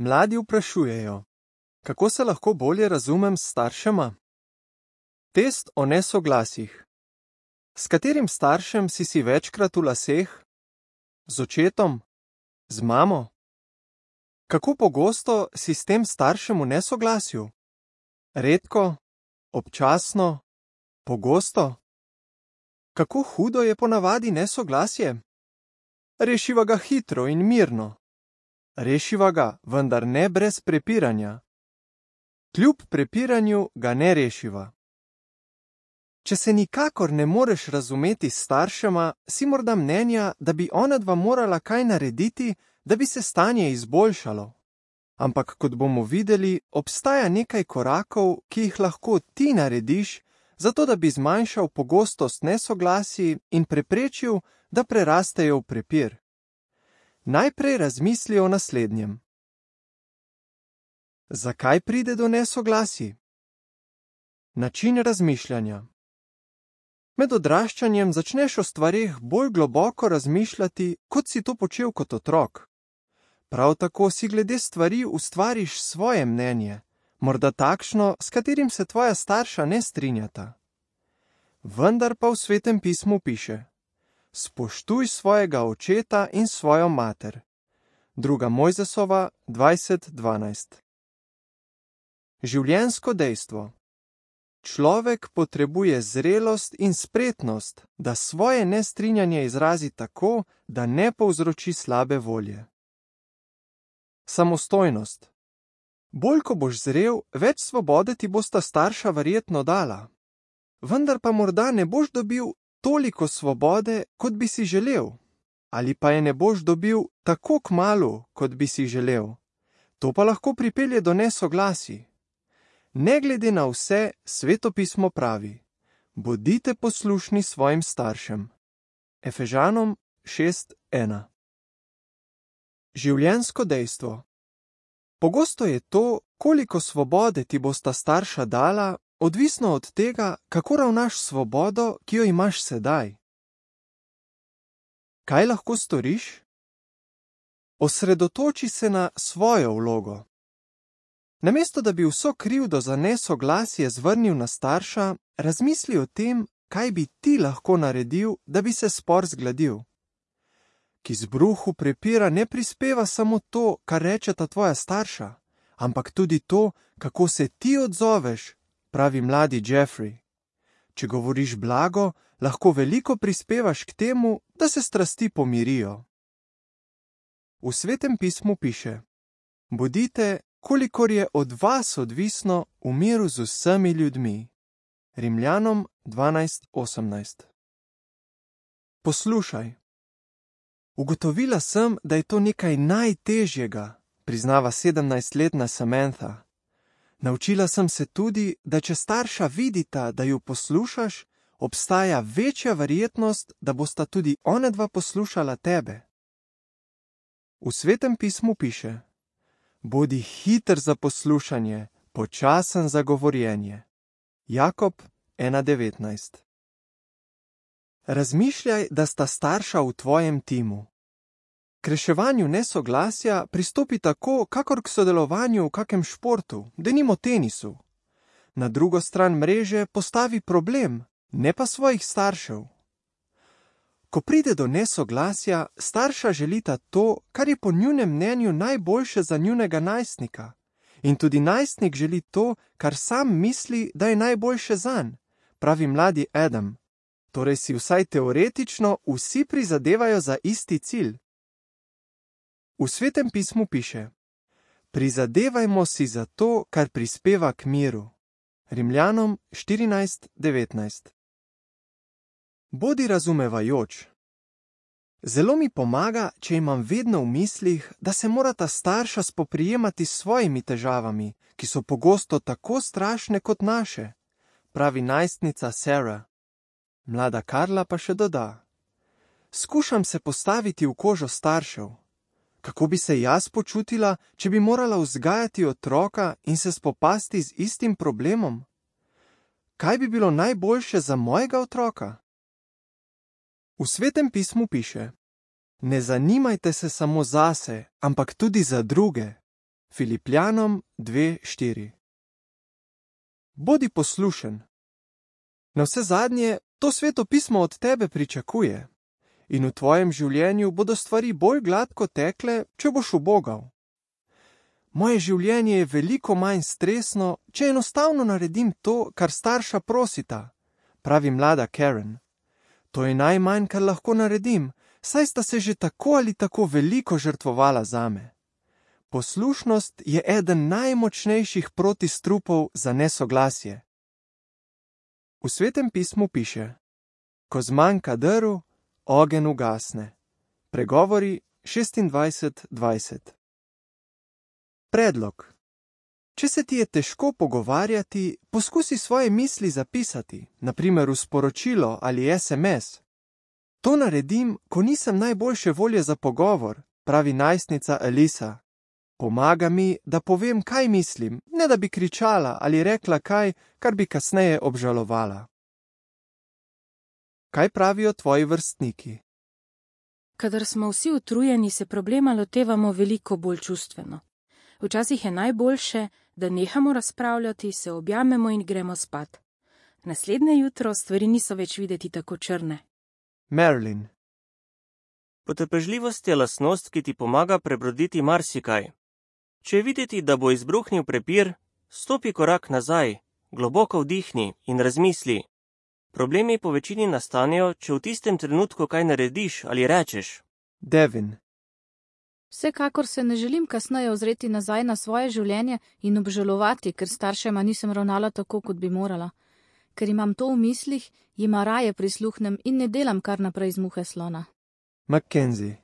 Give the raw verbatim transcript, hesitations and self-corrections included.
Mladi vprašujejo, kako se lahko bolje razumem s staršema? Test o nesoglasjih. S katerim staršem si si večkrat v laseh? Z očetom? Z mamo? Kako pogosto si s tem staršem v nesoglasju? Redko? Občasno? Pogosto? Kako hudo je ponavadi nesoglasje? Rešiva ga hitro in mirno. Rešiva ga, vendar ne brez prepiranja. Kljub prepiranju ga ne rešiva. Če se nikakor ne moreš razumeti s staršema, si morda mnenja, da bi onadva morala kaj narediti, da bi se stanje izboljšalo. Ampak kot bomo videli, obstaja nekaj korakov, ki jih lahko ti narediš, zato da bi zmanjšal pogostost nesoglasij in preprečil, da prerastejo v prepir. Najprej razmisli o naslednjem. Zakaj pride do nesoglasij? Način razmišljanja. Med odraščanjem začneš o stvareh bolj globoko razmišljati, kot si to počel kot otrok. Prav tako si glede stvari ustvariš svoje mnenje, morda takšno, s katerim se tvoja starša ne strinjata. Vendar pa v Svetem pismu piše: spoštuj svojega očeta in svojo mater. Druga Mojzesova dvajset dvanajst. Življenjsko dejstvo. Človek potrebuje zrelost in spretnost, da svoje nestrinjanje izrazi tako, da ne povzroči slabe volje. Samostojnost. Bolj ko boš zrel, več svobode ti bosta starša verjetno dala. Vendar pa morda ne boš dobil toliko svobode, kot bi si želel, ali pa je ne boš dobil tako kmalu, kot bi si želel. To pa lahko pripelje do nesoglasij. Ne glede na vse, Sveto pismo pravi: bodite poslušni svojim staršem. Efežanom šest ena. Življenjsko dejstvo. Pogosto je to, koliko svobode ti bosta starša dala, odvisno od tega, kako ravnaš s svobodo, ki jo imaš sedaj. Kaj lahko storiš? Osredotoči se na svojo vlogo. Namesto da bi vso krivdo za nesoglasje zvrnil na starša, razmisli o tem, kaj bi ti lahko naredil, da bi se spor zgladil. K izbruhu prepira ne prispeva samo to, kar rečeta tvoja starša, ampak tudi to, kako se ti odzoveš, pravi mladi Jeffrey. Če govoriš blago, lahko veliko prispevaš k temu, da se strasti pomirijo. V Svetem pismu piše: bodite, kolikor je od vas odvisno, v miru z vsemi ljudmi. Rimljanom dvanajst osemnajst. Poslušaj. Ugotovila sem, da je to nekaj najtežjega, priznava sedemnajstletna Samantha. Naučila sem se tudi, da če starša vidita, da ju poslušaš, obstaja večja verjetnost, da bosta tudi onadva poslušala tebe. V Svetem pismu piše: bodi hiter za poslušanje, počasen za govorjenje. Jakob ena devetnajst. Razmišljaj, da sta starša v tvojem timu. K reševanju nesoglasja pristopi tako, kakor k sodelovanju v kakem športu, denimo tenisu. Na drugo stran mreže postavi problem, ne pa svojih staršev. Ko pride do nesoglasja, starša želita to, kar je po njunem mnenju najboljše za njunega najstnika. In tudi najstnik želi to, kar sam misli, da je najboljše zanj, pravi mladi Adam. Torej si vsaj teoretično vsi prizadevajo za isti cilj. V Svetem pismu piše: prizadevajmo si za to, kar prispeva k miru. Rimljanom štirinajst devetnajst. Bodi razumevajoč. Zelo mi pomaga, če imam vedno v mislih, da se morata starša spoprijemati s svojimi težavami, ki so pogosto tako strašne kot naše, pravi najstnica Sarah. Mlada Karla pa še doda: skušam se postaviti v kožo staršev. Kako bi se jaz počutila, če bi morala vzgajati otroka in se spopasti z istim problemom? Kaj bi bilo najboljše za mojega otroka? V Svetem pismu piše: ne zanimajte se samo zase, ampak tudi za druge. Filipljanom dve štiri. Bodi poslušen. Navsezadnje, to Sveto pismo od tebe pričakuje. In v tvojem življenju bodo stvari bolj gladko tekle, če boš ubogal. Moje življenje je veliko manj stresno, če enostavno naredim to, kar starša prosita, pravi mlada Karen. To je najmanj, kar lahko naredim, saj sta se že tako ali tako veliko žrtvovala zame. Poslušnost je eden najmočnejših protistrupov za nesoglasje. V Svetem pismu piše: Ko zmanjka drv, ogenj ugasne. Pregovori šestindvajset dvajset. Predlog. Če se ti je težko pogovarjati, poskusi svoje misli zapisati, na primer v sporočilo ali es em es. To naredim, ko nisem najboljše volje za pogovor, pravi najstnica Elisa. Pomaga mi, da povem, kaj mislim, ne da bi kričala ali rekla kaj, kar bi kasneje obžalovala. Kaj pravijo tvoji vrstniki? Kadar smo vsi utrujeni, se problema lotevamo veliko bolj čustveno. Včasih je najboljše, da nehamo razpravljati, se objamemo in gremo spat. Naslednje jutro stvari niso več videti tako črne. Marilyn. Potrpežljivost je lastnost, ki ti pomaga prebroditi marsikaj. Če je videti, da bo izbruhnil prepir, stopi korak nazaj, globoko vdihni in razmisli. Problemi po večini nastanejo, če v tistem trenutku kaj narediš ali rečeš. Devin. Vsekakor se ne želim kasneje ozreti nazaj na svoje življenje in obžalovati, ker staršema nisem ravnala tako, kot bi morala. Ker imam to v mislih, jima raje prisluhnem in ne delam kar naprej z muhe slona. Mackenzie.